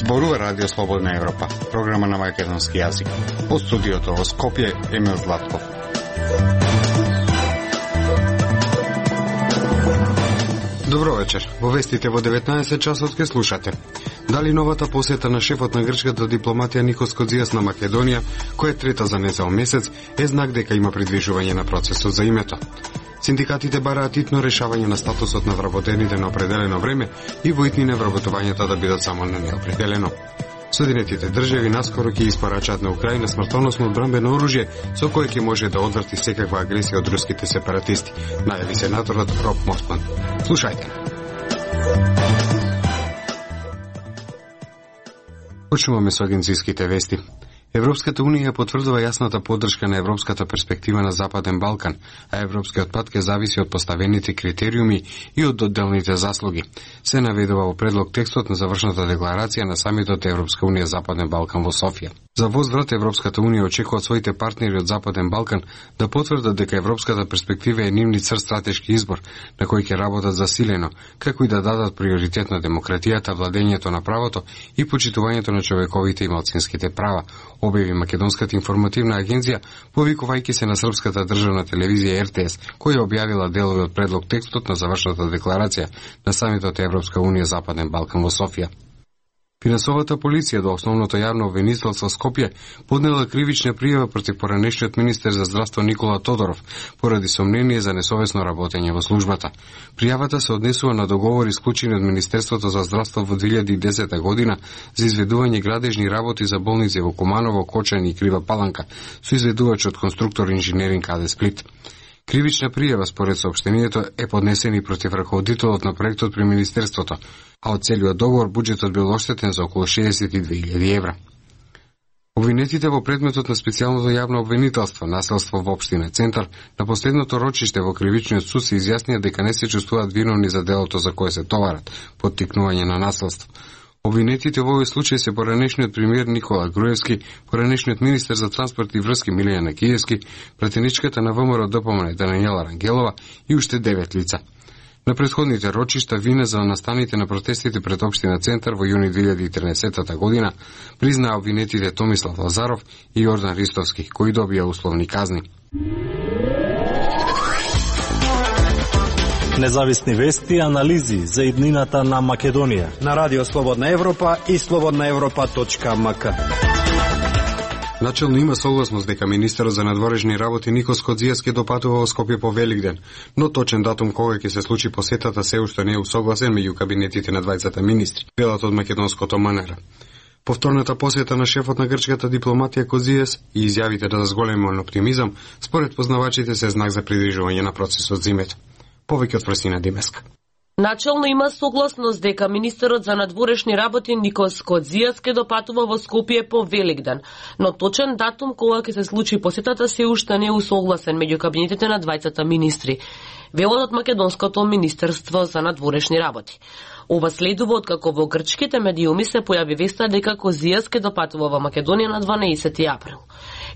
Зборува Радио Слободна Европа, програма на македонски јазик. Од студиото во Скопје, Емил Златков. Добро вечер. Во вестите во 19 часот ке слушате. Дали новата посета на шефот на грчката дипломатија Никос Кодзијас на Македонија, која е трета за нецел месец, е знак дека има придвижување на процесот за името. Синдикатите бараат итно решавање на статусот на вработените на определено време и во итнина вработувањата да бидат само на неопределено. Соединетите држави наскоро ќе испорачаат на Украина смртоносно одбранбено оружје со кое ќе може да одврти секаква агресија од руските сепаратисти, најави сенаторот Роб Мосман. Слушајте. Почнуваме со агенцијските вести. Европската Унија потврдува јасната поддршка на европската перспектива на Западен Балкан, а европскиот пат ќе зависи од поставените критериуми и од одделните заслуги. Се наведува во предлог текстот на завршната декларација на самитот Европска Унија Западен Балкан во Софија. За возврат Европската Унија очекува од своите партнери од Западен Балкан да потврдат дека европската перспектива е нивни црт стратешки избор на кој ќе работат засилено, како и да дадат приоритет на демократијата, владењето на правото и почитувањето на човековите и малцинските права, објави Македонската информативна агенција, повикувајќи се на српската државна телевизија РТС, која објавила делови од предлог текстот на завршната декларација на самитот Европска Унија Западен Балкан во Софија. Финансовата полиција до основното јавно обвинителство Скопје поднела кривична пријава против поранешниот министер за здравство Никола Тодоров поради сомнение за несовесно работење во службата. Пријавата се однесува на договори склучени од Министерството за здравство во 2010 година за изведување градежни работи за болници во Куманово, Кочани и Крива Паланка со изведувачот конструктор инженеринг АД Сплит. Кривична пријава според соопштението е поднесена и против раководителот на проектот при Министерството, а од целиот договор буџетот бил оштетен за околу 62.000 евра. Обвинетите во предметот на специјалното јавно обвинителство, населство во општина Центар, на последното рочиште во кривичниот суд се изјаснија дека не се чувствуваат виновни за делото за кое се товарат, поттикнување на населство. Обвинетите во овој случај се поранешниот премиер Никола Груевски, поранешниот министер за транспорт и врски Милијана Киевски, пратеничката на ВМРО ДПМН Даниела Рангелова и уште 9 лица. На претходните рочишта вина за настаните на протестите пред општина Центар во јуни 2013 година признаа обвинетите Томислав Лазаров и Јордан Ристовски, кои добија условни казни. Независни вести и анализи за иднината на Македонија на Радио Слободна Европа и slobodnaevropa.mk. Начелно има согласност дека министерот за надворешни работи Никос Кодзијас ќе допатува во Скопје по Великден, но точен датум кога ќе се случи посетата се уште не е усогласен меѓу кабинетите на двајцата министри, велат од македонското МНР. Повторната посета на шефот на грчката дипломатија Кодзијас и изјавите да зголемен оптимизам според познавачите се знак за придржување на процесот за името. Повеќе од Фрсина Димеска. Начелно има согласност дека министерот за надворешни работи Никос Кодзијас ќе допатува во Скопје по Великден, но точен датум кога ќе се случи посетата се уште не е усогласен меѓу кабинетите на двајцата министри, велат од Македонското министерство за надворешни работи. Ова следува откако во грчките медиуми се појави веста дека Кодзијас ќе допатува во Македонија на 12 април.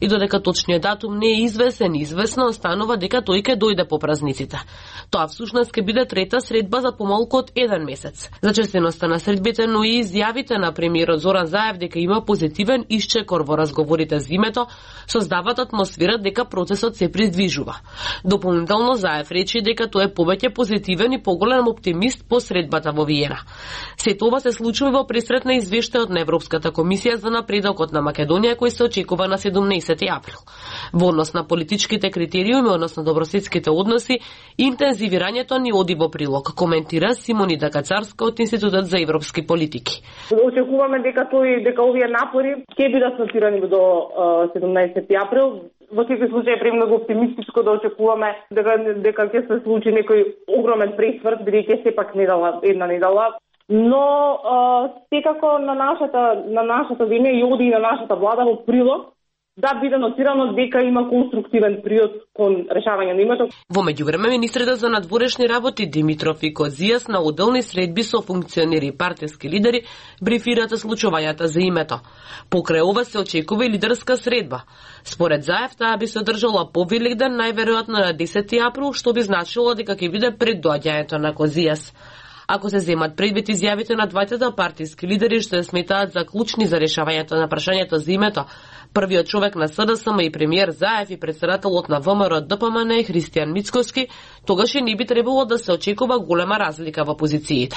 И додека точниот датум не е известно останува дека тој ќе дојде по празниците. Тоа всушност ќе биде трета средба за помалку од 1 месец. За честеноста на средбите, но и изјавите на премиерот Зоран Заев дека има позитивен исчекор во разговорите за името, создаваат атмосфера дека процесот се придвижува. Дополнително Заев рече дека тој е повеќе позитивен и поголем оптимист по средбата во Виена. Сето ова се случува во пресрет на извештајот на Европската комисија за напредокот на Македонија кој се очекува на 17 април. Во однос на политичките критериуми, односно добрососедските односи, интензивирањето ни оди во прилог, коментира Симонида Кацарска од Институтот за европски политики. Очекуваме дека овие напори ќе бидат стартирани до 17 април. Во секој случај е премногу оптимистичко да очекуваме дека ќе се случи некој огромен пресврт, бидејќи сепак една недела. Но секако на нашата земја и оди и на нашата влада во прилог да биде нотирано дека има конструктивен приод кон решавање на името. Во меѓувреме, министрите за надворешни работи Димитров и Кодзијас на одделни средби со функционери и партиски лидери брифираат случувањата за името. Покрај ова се очекува и лидерска средба. Според Заев, таа би се одржала по Великден, најверојатно на 10 април, што би значило дека ќе биде пред доаѓањето на Кодзијас. Ако се земат предвид изјавите на двајцата партиски лидери што ја сметаат за клучни за решавањето на прашањето за името, првиот човек на СДСМ и премиер Заев и председателот на ВМРО ДПМН Христијан Мицкоски, тогаш и не би требало да се очекува голема разлика во позициите.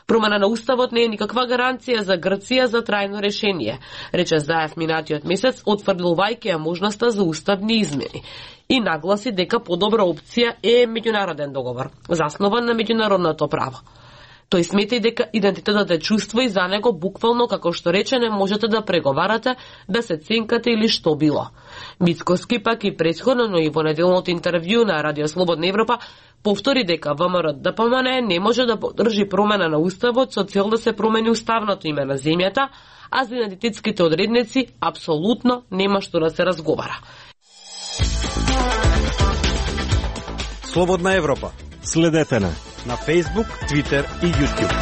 Промена на уставот не е никаква гаранција за Грција за трајно решение, рече Заев минатиот месец, отфрлувајќи ја можноста за уставни измени. И нагласи дека подобра опција е меѓународен договор, заснован на меѓународното право. Тој смета и дека идентитетот е чувство и за него буквално, како што рече, не можете да преговарате, да се ценкате или што било. Мицкоски пак и претходно, но и во неделното интервју на Радио Слободна Европа повтори дека ВМРО ДПМН не може да поддржи промена на уставот со цел да се промени уставното име на земјата, а за идентитетските одредници апсолутно нема што да се разговара. Слободна Европа. Следете на Facebook, Twitter и YouTube.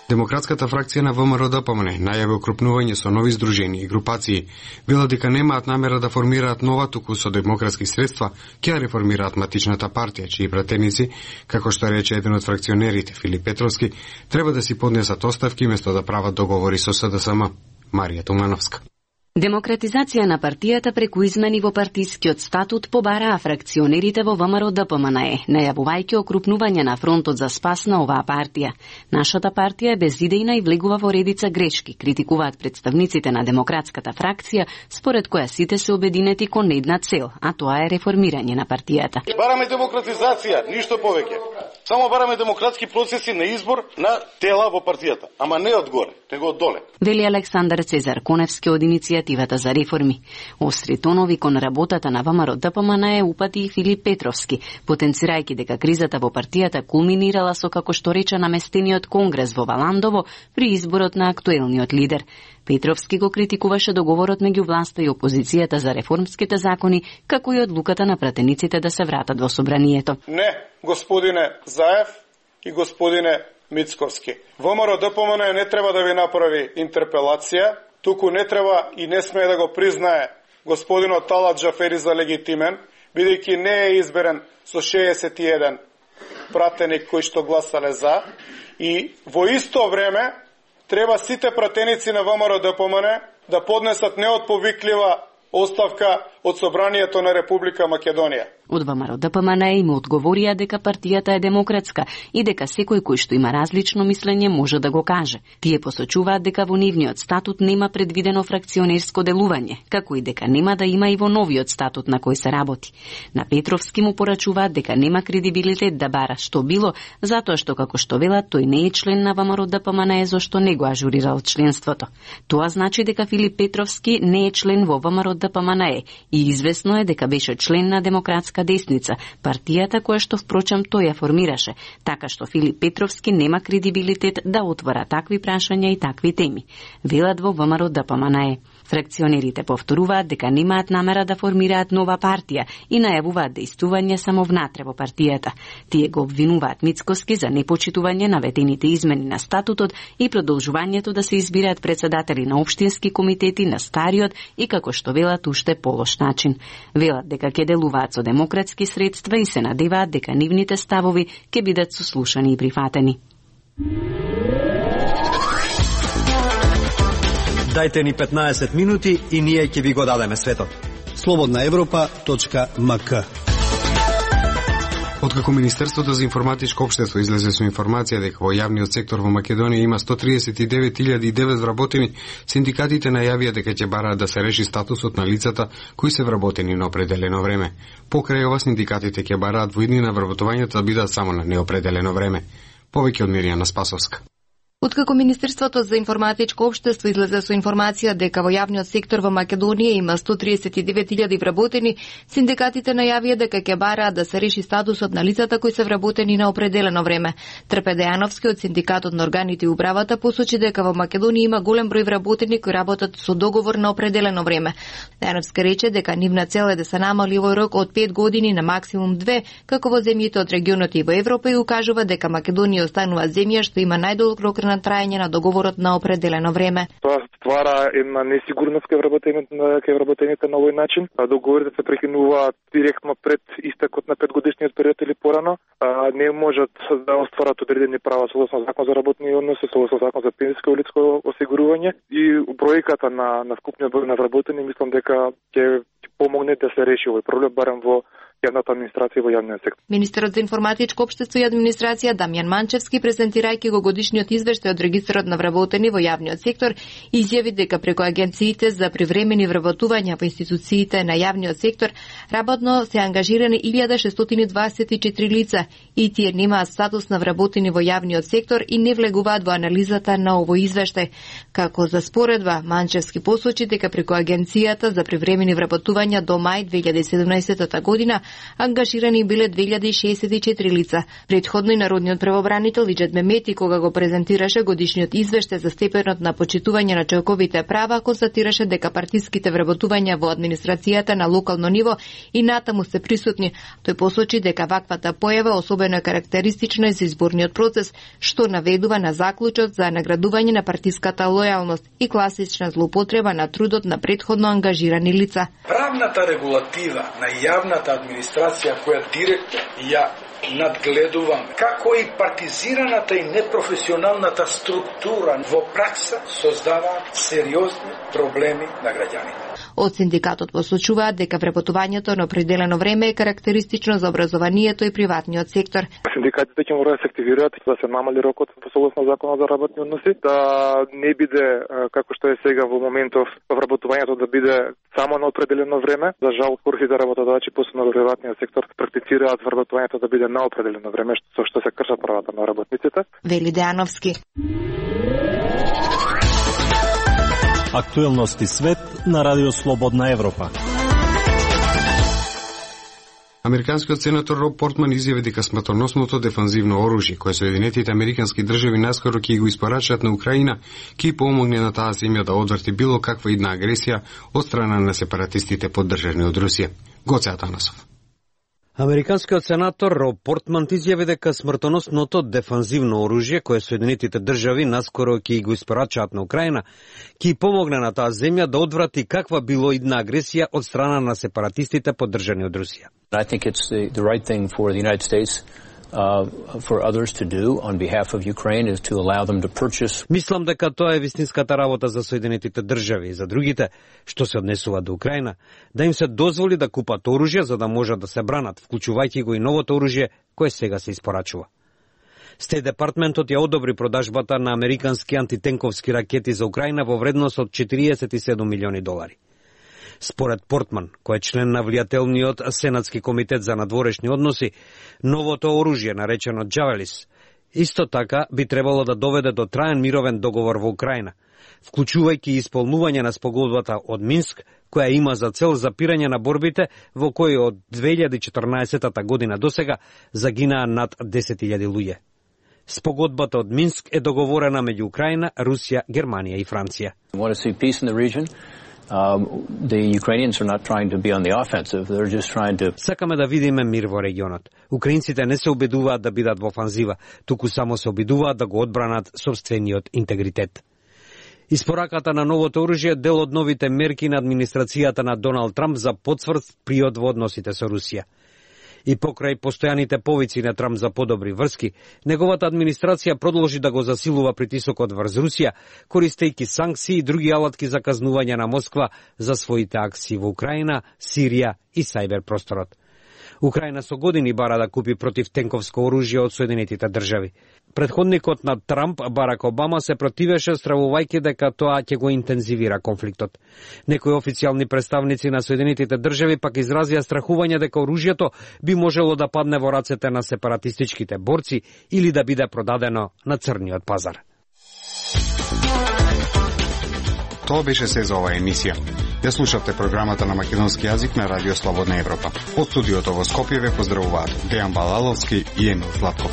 Демократската фракција на ВМРО ДПМН најави окрупнување со нови здружени и групации. Вела дека немаат намера да формираат нова, туку со демократски средства ќе реформираат матичната партија, чии пратеници, како што рече еден од фракционерите Филип Петровски, треба да си поднесат оставки место да прават договори со СДСМ. Марија Тумановска. Демократизација на партијата преку измени во партискиот статут побараа фракционерите во ВМРО ДПМН, најавувајќи окрупнување на фронтот за спас на оваа партија. Нашата партија е безидејна и влегува во редица грешки, критикуваат представниците на демократската фракција, според која сите се обединети кон една цел, а тоа е реформирање на партијата. Бараме демократизација, ништо повеќе. Само бараме демократски процеси на избор на тела во партијата, ама не од горе, него од доле. Вели Александар Цезар Коневски од иницијативата за реформи. Остри тонови кон работата на ВМРО ДПМН упати и Филип Петровски, потенцирајќи дека кризата во партијата кулминирала со, како што рече, наместениот конгрес во Валандово при изборот на актуелниот лидер. Петровски го критикуваше договорот меѓу власта и опозицијата за реформските закони, како и одлуката на пратениците да се вратат во собранието. Не, господине Заев и господине Мицковски. ВМРО ДПМН не треба да ви направи интерпелација, туку не треба и не смее да го признае господинот Талат Джафери за легитимен, бидејќи не е изберен со 61 пратеник кои што гласале за, и во исто време треба сите пратеници на ВМРО ДПМН да поднесат неотповиклива оставка од Собранието на Република Македонија. Од ВМРО ДПМН им одговорија дека партијата е демократска и дека секој кој што има различно мислење може да го каже. Тие посочуваат дека во нивниот статут нема предвидено фракционерско делување, како и дека нема да има и во новиот статут на кој се работи. На Петровски му порачуваат дека нема кредибилитет да бара што било, затоа што, како што велат, тој не е член на ВМРО ДПМН зашто не го ажурирал членството. Тоа значи дека Филип Петровски не е член во ВМРО ДПМН и известно е дека беше член на Демократска десница, партијата која што впрочем тој ја формираше, така што Филип Петровски нема кредибилитет да отвора такви прашања и такви теми. Велат во ВМРО ДПМН. Фракционерите повторуваат дека немаат намера да формираат нова партија и најавуваат дејствување само внатре во партијата. Тие го обвинуваат Мицкоски за непочитување на ветените измени на статутот и продолжувањето да се избираат председатели на општински комитети на стариот и, како што велат, уште полош начин. Велат дека ќе делуваат со демократски средства и се надеваат дека нивните ставови ќе бидат сослушани и прифатени. Дајте ни 15 минути и ние ќе ви го дадеме светот. slobodnaevropa.mk. Откако Министерството за информатичко општество излезе со информација дека во јавниот сектор во Македонија има 139.009 вработени, синдикатите најавија дека ќе бараат да се реши статусот на лицата кои се вработени на определено време. Покрај ова, синдикатите ќе бараат во иднина вработувањето да бидат само на неопределено време. Повеќе од Миријана Спасовска. Откако Министерството за информатичко општество излезе со информација дека во јавниот сектор во Македонија има 139.000 вработени, синдикатите најавија дека ќе бараат да се реши статусот на лицата кои се вработени на определено време. Трпе Дејановски од синдикатот на органите и управата посочи дека во Македонија има голем број вработени кои работат со договор на определено време. Дејановски рече дека нивна цел е да се намали овој рок од 5 години на максимум 2, како во земјите од регионот и во Европа, и укажува дека Македонија останува земја што има најдолг рок на трајање на договорот на определено време. Тоа ствара една несигурност кај вработените на овој начин. Договорите се прекинуваат директно пред истекот на 5-годишниот период или порано. Не можат да остварат одредени права согласно закон за работни односи, согласно закон за пензијско и личко осигурување, и бројката на вкупниот број на вработени мислам дека ќе помогне да се реши овој проблем барем во јавната администрација во јавниот сектор. Министерот за информатичко општество и администрација Дамјан Манчевски, презентирајќи го годишниот извештај од регистарот на вработени во јавниот сектор, изјави дека преку агенциите за привремени вработувања во институциите на јавниот сектор работно се ангажирани 1624 лица и тие немаат статус на вработени во јавниот сектор и не влегуваат во анализата на овој извештај. Како за споредба, Манчевски посочи дека преку агенцијата за привремени вработувања до мај 2017 година ангажирани биле 2064 лица. Предходно и народниот правобранител Иџет Мемети, кога го презентираше годишниот извештај за степенот на почитување на човековите права, констатираше дека партиските вработувања во администрацијата на локално ниво и натаму се присутни. Тој посочи дека ваквата појава особено е карактеристична и за изборниот процес, што наведува на заклучок за наградување на партиската лојалност и класична злоупотреба на трудот на претходно ангажирани лица. Правната регулатива на јавната администрација која директно ја надгледуваме, како и партизираната и непрофесионалната структура во пракса создава сериозни проблеми на граѓаните. Од синдикатот посочуваат дека вработувањето на определено време е карактеристично за образованието и приватниот сектор. Синдикатите ќе мора да се активираат да се намали рокот по согласно законот за работни односи, да не биде како што е сега во моментов вработувањето да биде само на определено време. За жал, сите работодавачи посебно во приватниот сектор практицираат вработувањето да биде на определено време, што се кршат правата на работниците. Вели Дејановски. Актуелности свет на Радио Слободна Европа. Американскиот сенатор Роб Портман изјави дека смртоносното дефанзивно оружје кое Соединетите американски држави наскоро ќе го испорачат на Украина ќе помогне на таа земја да одврати било каква идна агресија од страна на сепаратистите поддржани од Русија. Гоце Атанасов. Американскиот сенатор Роб Портман изјави дека смртоносното дефанзивно оружје кое Соединетите држави наскоро ќе го испорачаат на Украина ќе помогне на таа земја да одврати каква било идна агресија од страна на сепаратистите поддржани од Русија. I think it's the right thing for the United States for others to do on behalf of Ukraine is to allow them to purchase. Мислам дека тоа е вистинската работа за Соединетите држави и за другите што се однесува до Украина, да им се дозволи да купат оружје за да можат да се бранат, вклучувајќи го и новото оружје кое сега се испорачува. Стејт департментот ја одобри продажбата на американски антитенковски ракети за Украина во вредност од $47 милиони. Според Портман, кој е член на влијателниот Сенатски комитет за надворешни односи, новото оружје, наречено Джавелис, исто така би требало да доведе до траен мировен договор во Украина, вклучувајќи исполнување на спогодбата од Минск, која има за цел запирање на борбите во кои од 2014 година досега загинаа над 10.000 луѓе. Спогодбата од Минск е договорена меѓу Украина, Русија, Германија и Франција. The Ukrainians are not trying to be on the offensive, they're just trying to... Сакаме да видиме мир во регионот. Украинците не се обидуваат да бидат во офанзива, туку само се обидуваат да го одбранат собствениот интегритет. Испораката на новото оружје е дел од новите мерки на администрацијата на Доналд Трамп за потврд приод во односите со Русија. И покрај постојаните повици на Трамп за подобри врски, неговата администрација продолжи да го засилува притисокот врз Русија, користејќи санкции и други алатки за казнување на Москва за своите акции во Украина, Сирија и сајбер просторот. Украина со години бара да купи противтенковско оружје од Соединетите држави. Предходникот на Трамп, Барак Обама, се противеше стравувајќи дека тоа ќе го интензивира конфликтот. Некои официјални представници на Соединетите држави пак изразија страхување дека оружјето би можело да падне во рацете на сепаратистичките борци или да биде продадено на црниот пазар. Тоа беше се за оваа емисија. Ја слушавте програмата на македонски јазик на Радио Слободна Европа. Од студиото во Скопје ве поздравуваат Дејан Балаловски и Емил Златков.